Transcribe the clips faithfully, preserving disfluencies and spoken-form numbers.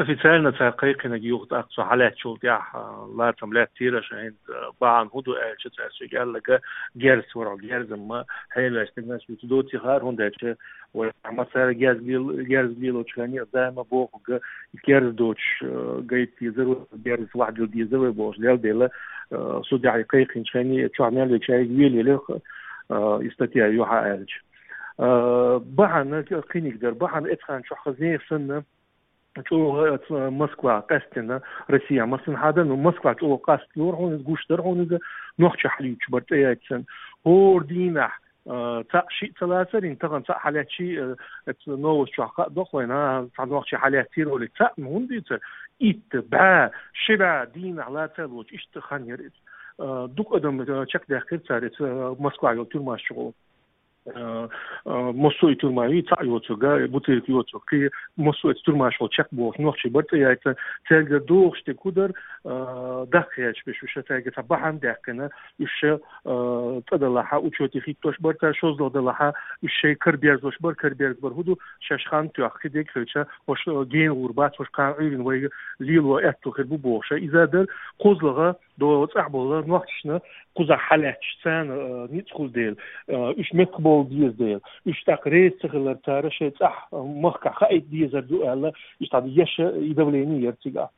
Официально цара кхайкхинарг юха тӀаккха цо хьалаьцначул тӀехьа, а, лацам лаьттира, ша хӀинца, а, бахьана хӀун ду аьлча, цара соьга аьлларг герз вара, герзамма хьеваьш стегнаш вуьту доци хаар, хӀунда аьлча вай массара герз лел-, герз лелочу хенахь а даима бохург, герз доцуш, а, гайта дезар вай, герз вахьдила дезар вай бохуш, лел дела, а, судехь кхайкхинчу хенахь а чохь мел вега шайга велаелира, а, и статья юьхьа аьлча. А, бахьана кхиниг дара, бахьана эцхьан чохь хазне санна, чӀогӀа, э, Москва къаьстина, Россия массанхьа дан, ну, Москва чӀогӀа къаст лора хьуна иза, гуш дара хьуна иза, нохчи хьалуьйтуш бара цӀе яйцсан. ХӀора дийнахь, э, цхьаъ шиъ ца лацара, хӀинца тахана цхьаъ хьалаьцчи, э, эцу новость чохь хаа доху вайна, а, цхьа нохчи хьалаьццийра олий, цхьаъ ма хӀунда дийцар? Итт бӀе, ши бӀе дийнахь лаца а лоцу, иштта хан яра иза. Э, дукха адам, э, чекхдаьккхира цара эцу, э, Москва йолу тюрьмаш чу гӀо. Э, э, массо а и тюрьма ю, цхьаъ йоцург, бутылка йоцург, кхин массо а эцу тюрьмаш волу чекхбохуш нохчий бара цӀе яйцна, цаьргара догӀуш дерг хӀун дара, э, даккхий хьаьжча беш уьш, цаьрга цхьа бахьана даьккхина, уьш, э, цӀа далахьа, учете хӀиттош бара цара, шозлагӀа далахьа, уьш шайн караберзош бара, караберза бара хӀун ду, шаьш хан тоьхна, кхин дерг хилча, хӀорш, э, гена гӀур бац, хӀорш кхана Ӏуьйрина вайга лело аьтту хир бу бохуш. Иза дара, кхозлагӀа, до цӀахь болу нохчашна кхузахь хьалаьтташ, царна, а, ницкъ хуьлу дела, а, уьш меттахбовла деза дела, уьш тӀаккха реза ца хилар цара шайн цӀахь, а, махкахь хаийта дезар ду аьлла, иштта еш и давление яра цигахь.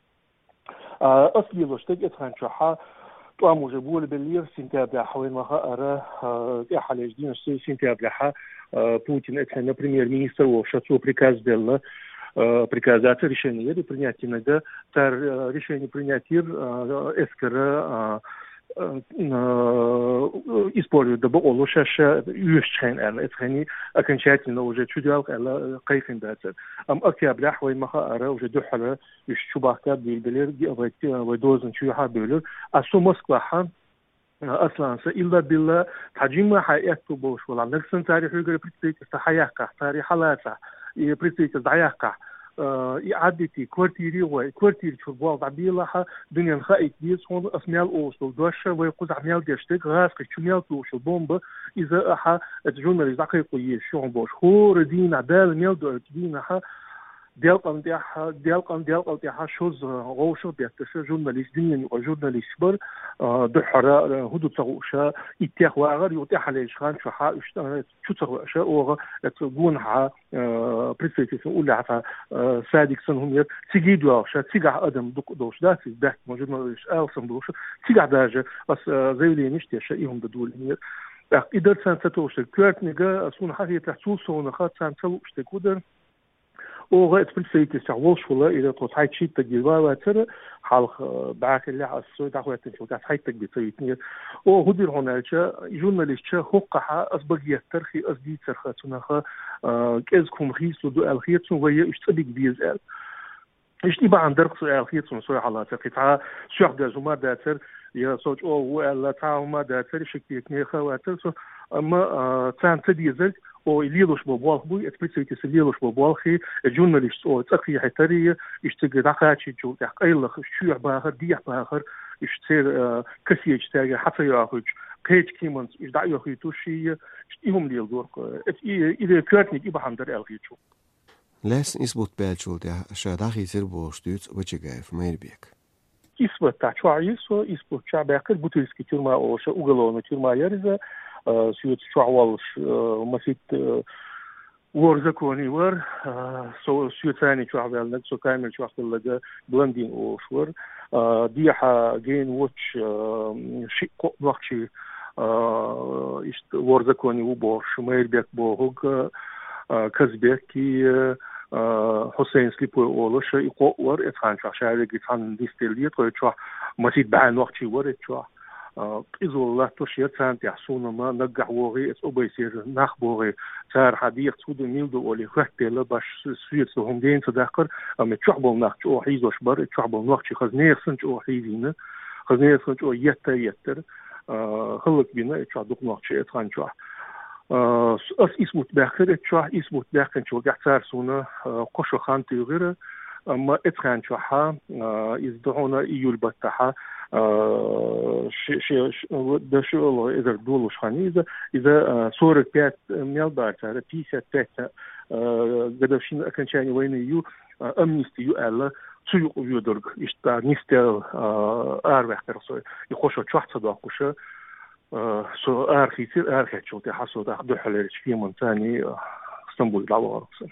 А, ас лелош дерг эцхьан чохь тӀом уже болабеллера сентябряхь, вайна ма хаара, а, тӀаьххьарчу дийнахь сентябряхь, а, Путин эцхьанна премьер-министр волуш, цо приказ делла, а, приказ дац, решение яра принять динарг, цара, а, решение принять йира, а, эскара, а, а, а, использовать дан бакъо ло шаьш ша оьшучу хенахь аьлла, эцу хенахь окончательно уже чудоьлху аьлла, кхайкхина дацара. Амма октябряхь вайна ма хаара уже дуьххьара уьш чу бахка а буьйлабелира, вай, вай дозанна чу юьхьа а бевлира. А со Москвахь, а, Аслан, сан илла-билла цхьа жимма хьан аьтту болуш валахь, нагахь санна цара хьоьгара представительство хьаяккхахь, цара хьалацахь, и представительство дӀаяккхахь, а, и Ӏаддитий, квартире гӀой, квартира чуьра болх дӀабелахьа, дуьненна хаийта деза хьуна, ас мел олуш долу дош, вай кхузахь мел деш дерг, гӀазкхи чу мел тухуш йолу бомба, иза ахьа, эцу журналист дӀакхайкхо езаш ю хьуна бохуш. ХӀора дийнахь, Дала мел доуьйту дийнахь, делкъан тӀехь, делкъан, делкъал тӀехь шозза гӀовшах бетташа журналист, дуьненан юкъа журналисташ бара, а, дуьххьара, а, хӀун ду ца хууша, иттех вагӀар, юха тӀаьхьалежа хан чохь уьш, а, чу ца хууша, оха, эцу гонахьа, а, представительство уллехь цхьа, а, садик санна хӀума яра, цига доьлхуша, цигахь адам дукха долуш дац, иза баьхкина журналист алсам болуша, цигахь даже ас, а, заявлениеш теша, и хӀума дан долийнера. ТӀаккха и дара царна ца товш дерг, коьртаниг, а, суна хьан хетарехь, цул совнаха царна ца лууш дерг хӀун дара? Оха эцу представительствехь волуш вала, иза тхо цхьайтта-шийтта стаг ван вацара, хьалха, э, бӀаьхиллехь ас со дӀахӀоьттинчул тӀаьхьа цхьайтта стаг бен ца витинера. Оха хӀун дира хьуна аьлча, и журналисташа хӀокхахьа ас багеттархи, ас дийцарха цунах, э, кӀезиг хӀума хийцалур ду аьлла хета суна, вай уьш цӀа бига беза аьлла. Иштта и бахьана дарх со аьлла хета суна, со хьалацара. Кхин цхьа соьх деза хӀума дацара, я со чӀогӀа ву аьлла, цхьа хӀума дацара, шек текнеха а вацара со, амма, а, царна ца дезарг, о, и лелош бо болх буй, эцу представительство лелош бо болхи, э, журналисташ, о, цӀа кхехьийтари, иштта цига дӀакхачийчул тӀехь къайлах, уьш чоьхьа бахар, дехьа бахар, уьш церан, э, кассеташ цаьрга хьа ца йохуьйтуш, кхечу кеманца уьш дӀа а йохуьйтуш, и, и хӀума леладора-кх, э, и, и коьртаниг и бахьана дара аьлла хета суна. Лаьцна исбат баьллачул тӀаьхьа ша дӀахийцира бохуш дуьйцу Вачагаев Майрбека. Исбатехь чохь йира со, исбат чохь баьккхира, Бутырский тюрьма олуш, уголовный тюрьма яра иза, а, соьца чохь воллуш, а, масийтта, а, вор законе вара, а, со, соьца цхьаьна чохь ваьлларг, со камера чохь хилларг Блондин олуш вара. А, дехьа гена воцуш, а, шиъ-кхоъ нохчий, а, иштта вор законе ву бохуш, Майрбек бохург, а, Казбек и, а, Хьусейн Слепой олуш, и кхоъ вара, эцхьан чохь ша вегги цхьаьна нисделла, тхой чохь масийтта бӀе нохчий вара эцу чохь. А, къизалла латтош яра царна тӀехь, суна ма наггахь вогӀий, эцу обайсера нах богӀий, цара хьан дехац хӀун ду, мила ду олий, хӀоьттаделла баш, соьца хӀума дена ца даккхара, амма чохь болу нах чӀогӀа хьийзош бара, чохь болу нохчий хаза нехан санна чӀогӀа хьийзийна, хаза нехан санна чӀогӀа етта а еттара, а, хӀаллакбина эцу чохь дукха нохчий эцхьан чохь. А, с-, ас исбат баьккхира эцу чохь, исбат баьккхинчул тӀаьхьа цара суна, а, кхо шо хан туьйхира, амма эцхьан чохь, а, иза ду хьуна июль баттахь, а, ши-, ши-, ши-, дан ши олу эзар долуш хан иза, иза, а, сорок пять мел бара цара, пятьдесят пять, а, годовщина окончания войны ю, а, амнисти ю аьлла, цу юкъа воьдург, иштта нисдел араваьккхар со. И хошо чохь ца доккхуш, со арахийцира, арахецчул тӀаьхьа со тӀаккха дуьххьалерчу кеманца а Стамбуле дӀавахара со.